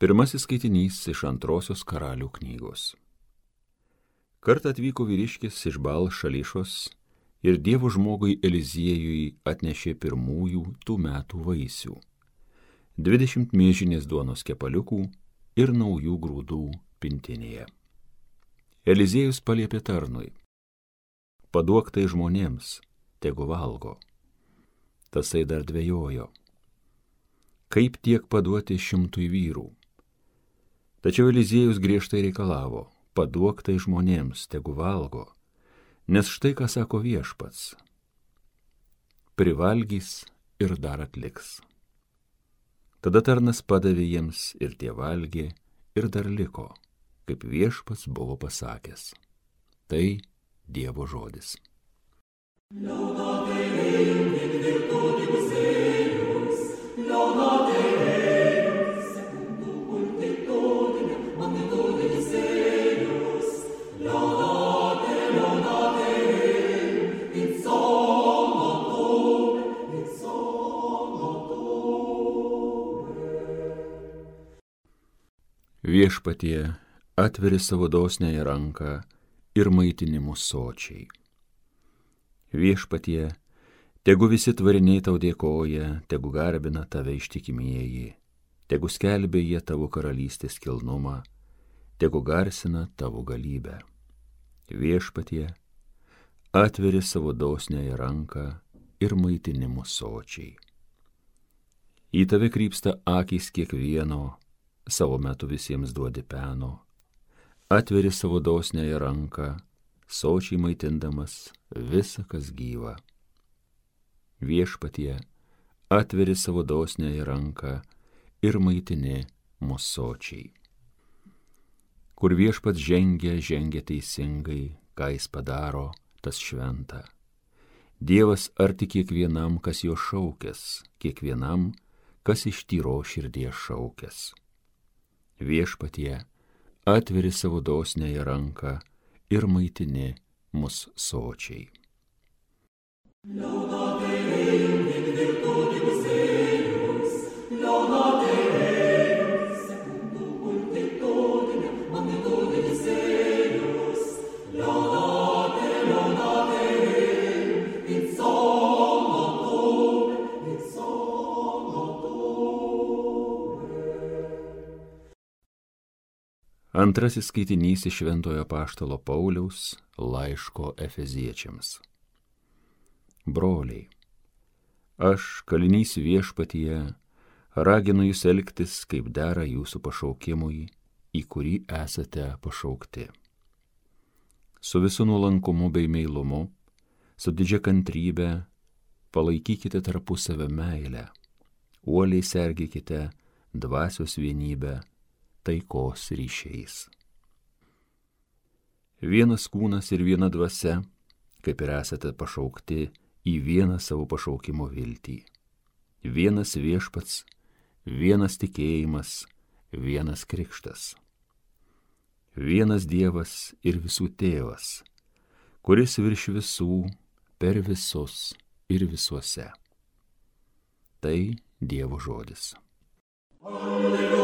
Pirmasis skaitinys iš Antrosios Karalių knygos. Kartą atvyko vyriškis iš Baal Šališos ir Dievo žmogui Eliziejui atnešė pirmųjų tų metų vaisių - 20 miežinės duonos kepaliukų ir naujų grūdų pintinėje. Eliziejus paliepė tarnui: paduok tai žmonėms, tegu valgo. Tasai dar dvejojo, kaip tiek paduoti 100 vyrų. Tačiau Eliziejus griežtai reikalavo: paduok tai žmonėms, tegu valgo, nes štai ką sako Viešpats: privalgys ir dar atliks. Tada tarnas padavė jiems ir tie valgė ir dar liko, kaip Viešpats buvo pasakęs. Tai Dievo žodis. Viešpatie, atveri savo dosniąją ranką ir maitini mus sočiai. Viešpatie, tegu visi tvariniai tau dėkoja, tegu garbina tave ištikimieji, tegu skelbia jie tavo karalystės kilnumą, tegu garsina tavo galybę. Viešpatie, atveri savo dosniąją ranką ir maitini mus sočiai. Į tave krypsta akys kiekvieno, savo metu visiems duodi peno, atveri savo dosniąją ranką, sočiai maitindamas visa, kas gyva. Viešpatie, atveri savo dosniąją ranką ir maitini mus sočiai. Kur Viešpats žengia teisingai, ką jis padaro, tas šventa. Dievas arti kiekvienam, kas jo šaukęs, kiekvienam, kas iš tyros širdies šaukęs. Viešpatie, atveri savo dosniąją ranką ir maitini mus sočiai. Antrasis skaitinys iš Šventojo apaštalo Pauliaus laiško Efeziečiams. Broliai, aš, kalinys Viešpatyje, raginu jūs elgtis, kaip dera jūsų pašaukimui, į kurį esate pašaukti. Su visu nuolankumu bei meilumu, su didžia kantrybe, palaikykite tarpusavio meilę, uoliai sergėkite dvasios vienybę, taikos ryšiais. Vienas kūnas ir viena dvasia, kaip ir esate pašaukti į vieną savo pašaukimo viltį. Vienas Viešpats, vienas tikėjimas, vienas krikštas. Vienas Dievas ir visų tėvas, kuris virš visų, per visus ir visuose. Tai Dievo žodis. Alleluja.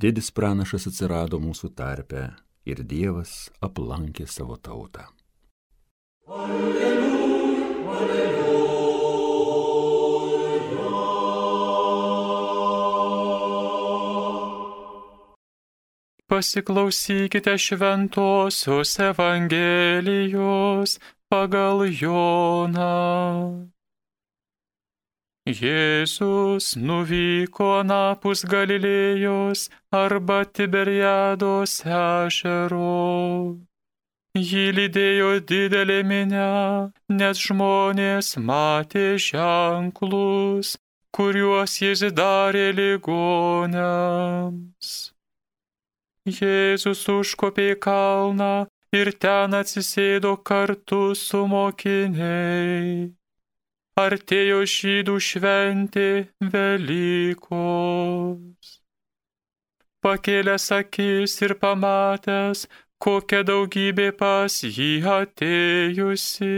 Didis pranašas atsirado mūsų tarpe ir Dievas aplankė savo tautą. Alleluja, alleluja. Pasiklausykite Šventosios Evangelijos pagal Joną. Jėzus nuvyko anapus Galilėjos arba Tiberiados ežero. Jį lydėjo didelė minia, nes žmonės matė ženklus, kuriuos jis darė ligoniams. Jėzus užkopė į kalną ir ten atsisėdo kartu su mokiniais. Artėjo žydų šventė Velykos. Pakėlęs akis ir pamatęs, kokia daugybė pas jį atėjusi,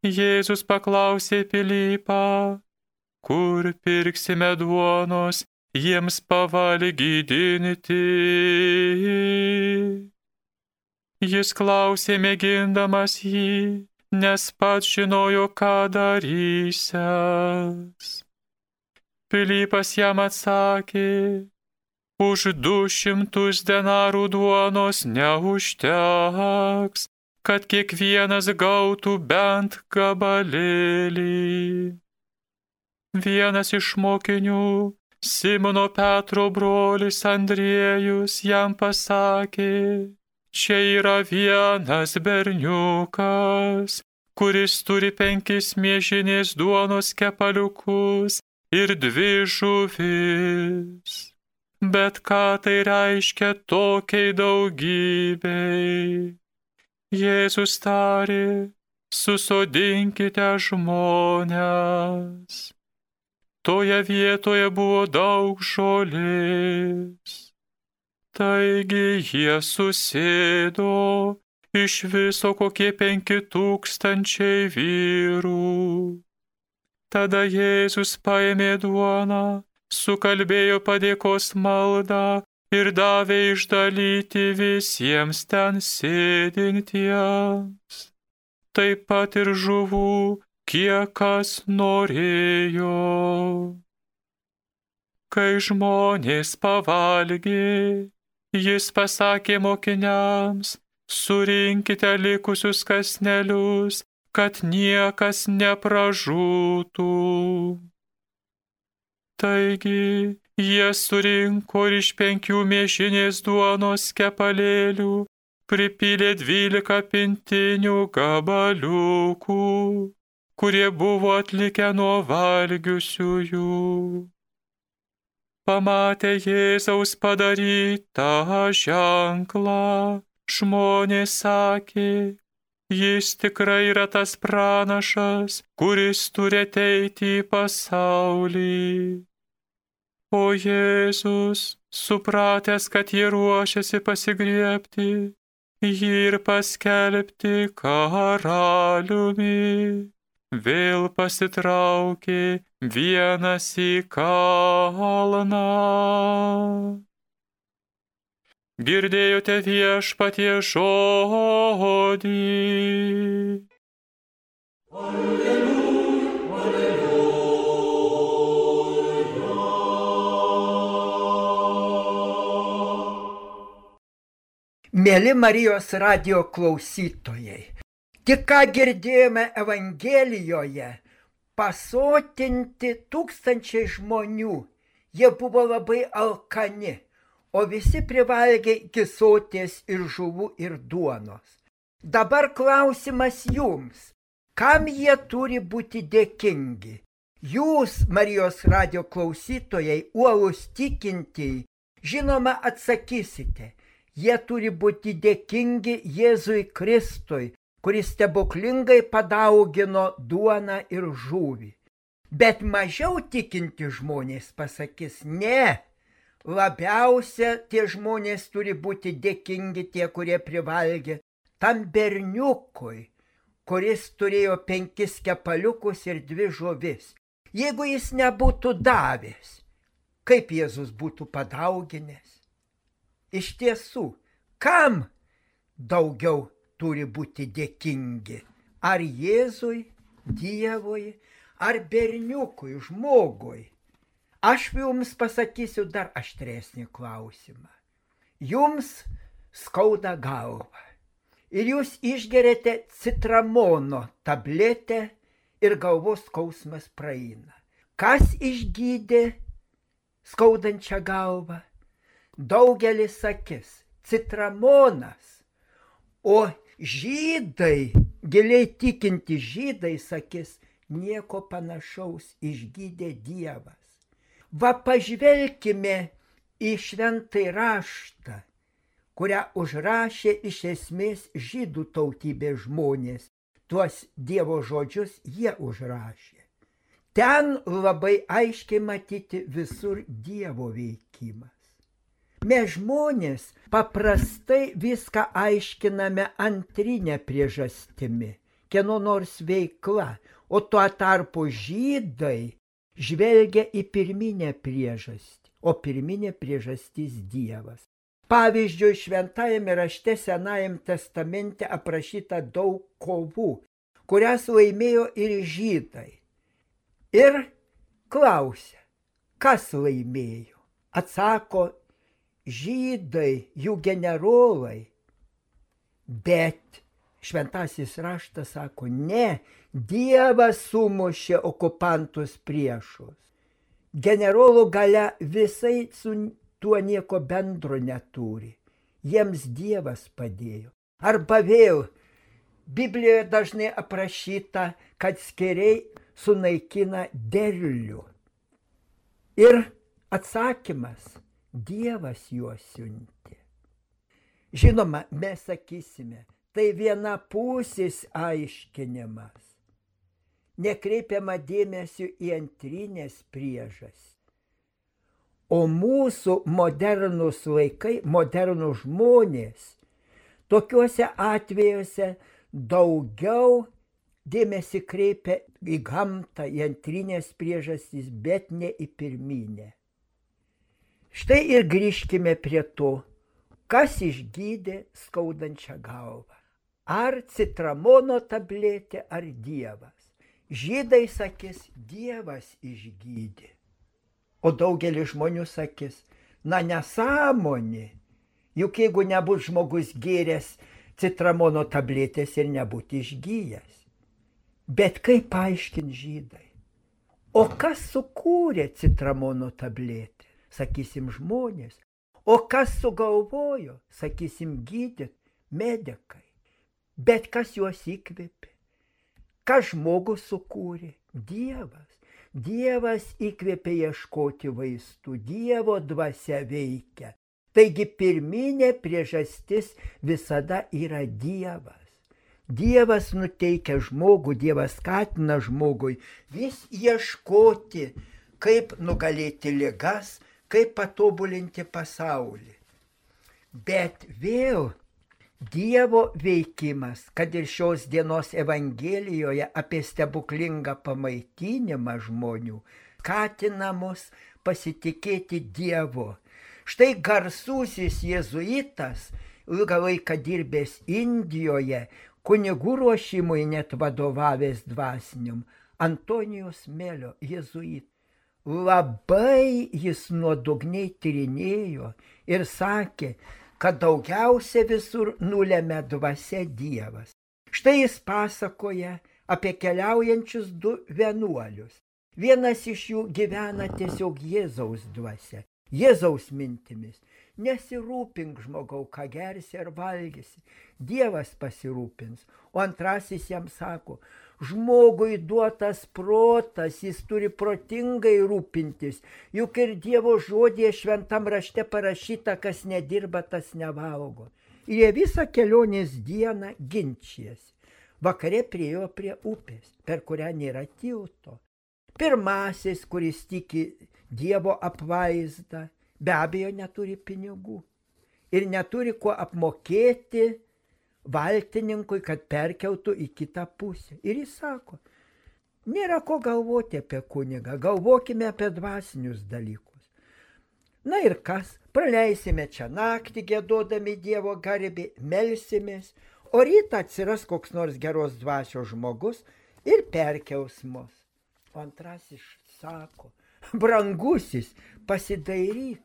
Jėzus paklausė Pilypą, kur pirksime duonos jiems pavalgydinti. Jis klausė mėgindamas jį, nes pats žinojo, ką darysiąs. Pilypas jam atsakė, už 200 denarų duonos neužteks, kad kiekvienas gautų bent gabalėlį. Vienas iš mokinių, Simono Petro brolis Andriejus, jam pasakė, čia yra vienas berniukas, kuris turi 5 miežinės duonos kepaliukus ir 2 žuvis. Bet ką tai reiškia tokiai daugybei? Jėzus tarė, susodinkite žmones. Toje vietoje buvo daug žolės. Taigi jie susėdo, iš viso kokie 5000 vyrų. Tada Jėzus paėmė duoną, sukalbėjo padėkos maldą ir davė išdalyti visiems ten sėdintiems. Taip pat ir žuvų, kiek kas norėjo. Kai žmonės pavalgė, jis pasakė mokiniams, surinkite likusius kąsnelius, kad niekas nepražūtų. Taigi jie surinko ir iš 5 miežinės duonos kepalėlių pripylė 12 pintinių gabaliukų, kurie buvo atlikę nuo valgiusiųjų. Pamatę Jėzaus padarytą ženklą, žmonės sakė, jis tikrai yra tas pranašas, kuris turi ateiti į pasaulį. O Jėzus, supratęs, kad jie ruošiasi pasigriebti jį ir paskelbti karaliumi, vėl pasitraukė vienas į kalną. Girdėjote Viešpaties žodį. Mėly Marijos radijo klausytojai, tik ką girdėjome Evangelijoje, pasotinti 1000 žmonių, jie buvo labai alkani, o visi privalgė iki soties ir žuvų ir duonos. Dabar klausimas jums, kam jie turi būti dėkingi? Jūs, Marijos radijo klausytojai, uolūs tikintieji, žinoma atsakysite, jie turi būti dėkingi Jėzui Kristui, kuris stebuklingai padaugino duoną ir žuvį. Bet mažiau tikinti žmonės pasakys, ne, labiausia tie žmonės turi būti dėkingi tie, kurie privalgė tam berniukui, kuris turėjo 5 kepaliukus ir 2 žuvis. Jeigu jis nebūtų davęs, kaip Jėzus būtų padauginęs? Iš tiesų, kam daugiau turi būti dėkingi? Ar Jėzui, Dievui, ar berniukui, žmogui? Aš jums pasakysiu dar aštresnį klausimą. Jums skauda galva ir jūs išgeriate citramono tabletę ir galvos skausmas praeina. Kas išgydė skaudančią galvą? Daugelis sakys, citramonas, o žydai, giliai tikinti žydai sakys, nieko panašaus, išgydė Dievas. Va pažvelkime į šventąjį raštą, kurią užrašė iš esmės žydų tautybės žmonės. Tuos Dievo žodžius jie užrašė. Ten labai aiškiai matyti visur Dievo veikimas. Mes žmonės paprastai viską aiškiname antrinę priežastimi. kieno nors veikla, o tuo tarpu žydai žvelgia į pirminę priežastį, o pirminė priežastis Dievas. Pavyzdžiui, šventajame rašte Senajame testamente aprašyta daug kovų, kurias laimėjo ir žydai. Ir klausia, kas laimėjo? Atsako, žydai, jų generolai. Bet šventasis raštas sako, ne, Dievas sumušė okupantus priešus. Generolų galia visai su tuo nieko bendro neturi. Jiems Dievas padėjo. Arba vėl, Biblijoje dažnai aprašyta, kad skėriai sunaikina derlių. Ir atsakymas, Dievas juos siuntė. Žinoma, mes sakysime, tai vienapusis aiškinimas. Nekreipiama dėmesio į antrinės priežastys. O mūsų modernus laikai, modernus žmonės, tokiuose atvejuose daugiau dėmesį kreipia į gamtą, į antrinės priežastys, bet ne į pirminę. Štai ir grįžkime prie to, kas išgydė skaudančią galvą. Ar citramono tabletė, ar Dievas. Žydai sakys, Dievas išgydė. O daugelis žmonių sakys, na nesąmonė. Juk jeigu nebūtų žmogus gėręs citramono tabletės ir nebūtų išgyjęs. Bet kaip paaiškins žydai? O kas sukūrė citramono tabletę? Sakysim, žmonės. O kas sugalvojo? Sakysim, gydyt, medikai. Bet kas juos įkvėpė? Kas žmogus sukūrė? Dievas. Dievas įkvėpė ieškoti vaistų. Dievo dvasia veikia. Taigi pirminė priežastis visada yra Dievas. Dievas nuteikia žmogų, Dievas skatina žmogui vis ieškoti, kaip nugalėti ligas, kaip patobulinti pasaulį. Bet vėl Dievo veikimas, kad ir šios dienos Evangelijoje apie stebuklingą pamaitinimą žmonių, skatina mus pasitikėti Dievu. Štai garsusis jėzuitas, ilgą laiką dirbęs Indijoje, kunigų ruošimui net vadovavęs dvasiniam, Antonijus Melio jėzuitas. Labai jis nuodugniai tyrinėjo ir sakė, kad daugiausia visur nulemia dvasia Dievas. Štai jis pasakoja apie keliaujančius 2 vienuolius. Vienas iš jų gyvena tiesiog Jėzaus dvasia, Jėzaus mintimis. Nesirūpink, žmogau, ką gersi ar valgysi, Dievas pasirūpins. O antrasis jam sako, žmogui duotas protas, jis turi protingai rūpintis, juk ir Dievo žodyje šventam rašte parašyta, kas nedirba, tas nevalgo. Ir jie visą kelionės dieną ginčijasi. Vakare priėjo prie upės, per kurią nėra tilto. Pirmasis, kuris tiki Dievo apvaizdą, be abejo neturi pinigų ir neturi kuo apmokėti valtininkui, kad perkeltų į kitą pusę. Ir jis sako, nėra ko galvoti apie kunigą, galvokime apie dvasinius dalykus. Na ir kas, praleisime čia naktį giedodami Dievo garbę, melsimės, o rytą atsiras koks nors geros dvasios žmogus ir perkels mus. O antrasis sako, brangusis, pasidairyk.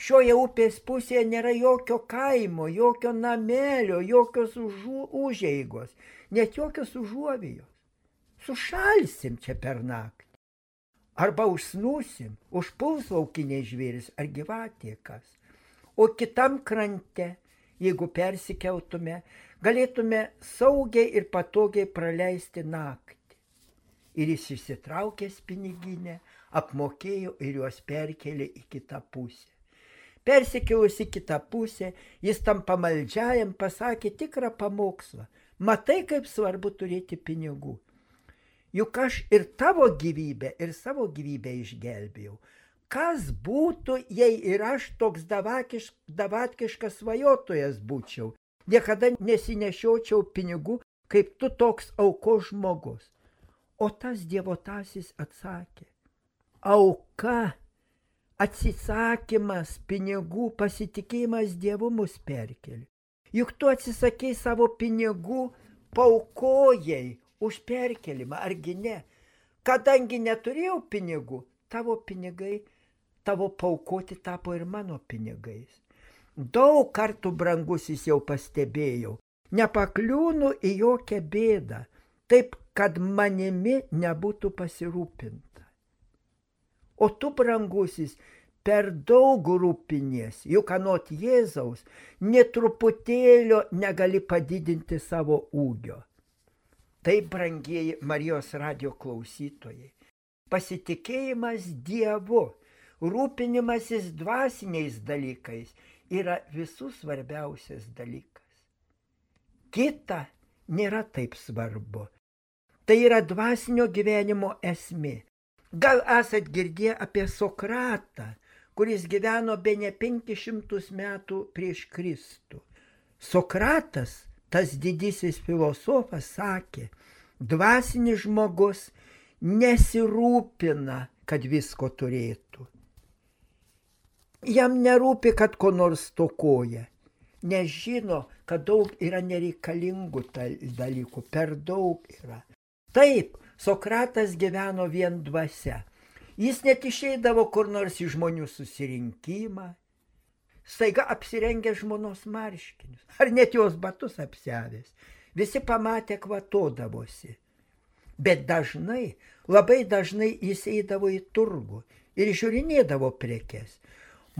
Šioje upės pusėje nėra jokio kaimo, jokio namelio, jokios užeigos, net jokios užuovijos. Sušalsim čia per naktį. Arba užsnūsim, užpuls laukiniai žvėris ar gyvatė kas. O kitam krante, jeigu persikeltume, galėtume saugiai ir patogiai praleisti naktį. Ir jis išsitraukęs piniginę, apmokėjo ir juos perkelė į kitą pusę. Persikėlus į kitą pusę, jis tam pamaldžiajam pasakė tikrą pamokslą. Matai, kaip svarbu turėti pinigų. Juk aš ir tavo gyvybę, ir savo gyvybę išgelbėjau. Kas būtų, jei ir aš toks davatkiškas svajotojas būčiau? Niekada nesinešiočiau pinigų, kaip tu toks aukos žmogus. O tas dievotasis atsakė, auka, atsisakymas pinigų, pasitikėjimas Dievu mus perkeli. Juk tu atsisakei savo pinigų, paukojai už perkelimą, argi ne? Kadangi neturėjau pinigų, tavo pinigai, tavo paukoti tapo ir mano pinigais. Daug kartų, brangusis, jau pastebėjau, nepakliūnu į jokią bėdą, taip, kad manimi nebūtų pasirūpinta. O tu, brangusis, per daug rūpinies, juk anot Jėzaus, netruputėlio negali padidinti savo ūgio. Taip, brangieji Marijos radijo klausytojai, pasitikėjimas Dievu, rūpinimasis dvasiniais dalykais yra visų svarbiausias dalykas. Kita nėra taip svarbu. Tai yra dvasinio gyvenimo esmė. Gal esat girdėję apie Sokratą, kuris gyveno bene 500 metų prieš Kristų. Sokratas, tas didysis filosofas, sakė, dvasinis žmogus nesirūpina, kad visko turėtų. Jam nerūpi, kad ko nors stokoja, nes žino, kad daug yra nereikalingų dalykų, per daug yra. Taip, Sokratas gyveno vien dvasia. Jis net išeidavo kur nors į žmonių susirinkimą, staiga apsirengė žmonos marškinius, ar net jos batus apsiavęs. Visi pamatė, kvatodavosi. Bet dažnai, labai dažnai jis eidavo į turgų ir žiūrinėdavo prekes.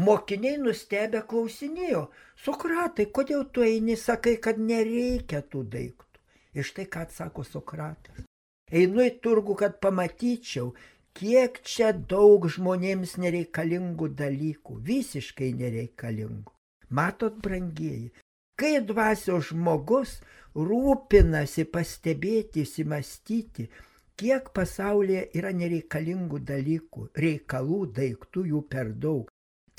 Mokiniai nustebę klausinėjo, Sokratai, kodėl tu eini, sakai, kad nereikia tų daiktų. Ir štai ką atsako Sokratas. Einu į turgų, kad pamatyčiau, kiek čia daug žmonėms nereikalingų dalykų, visiškai nereikalingų. Matot, brangieji, kai dvasios žmogus rūpinasi pastebėti, įsimastyti, kiek pasaulyje yra nereikalingų dalykų, reikalų, daiktų jų per daug.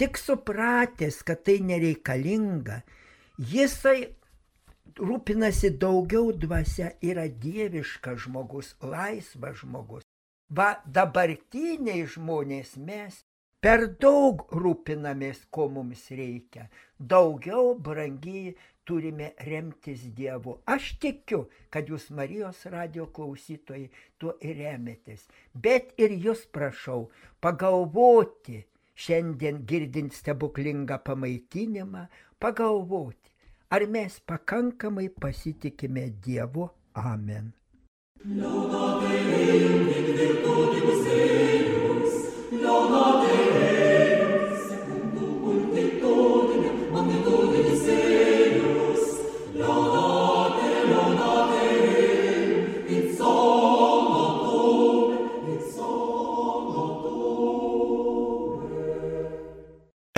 Tik supratęs, kad tai nereikalinga, jisai rūpinasi daugiau dvasia, yra dieviškas žmogus, laisvas žmogus. Va, dabartiniai žmonės mes per daug rūpinamės, ko mums reikia. Daugiau, brangiai, turime remtis Dievu. Aš tikiu, kad jūs, Marijos radijo klausytojai, tuo ir remetės. Bet ir jūs prašau pagalvoti, šiandien girdint stebuklingą pamaitinimą, pagalvoti, ar mes pakankamai pasitikime Dievu. Amen.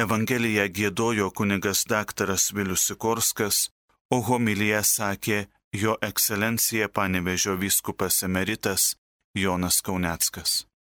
Evangeliją giedojo kunigas daktaras Vilius Sikorskas, o homiliją sakė jo ekscelencija Panevėžio vyskupas emeritas Jonas Kauneckas.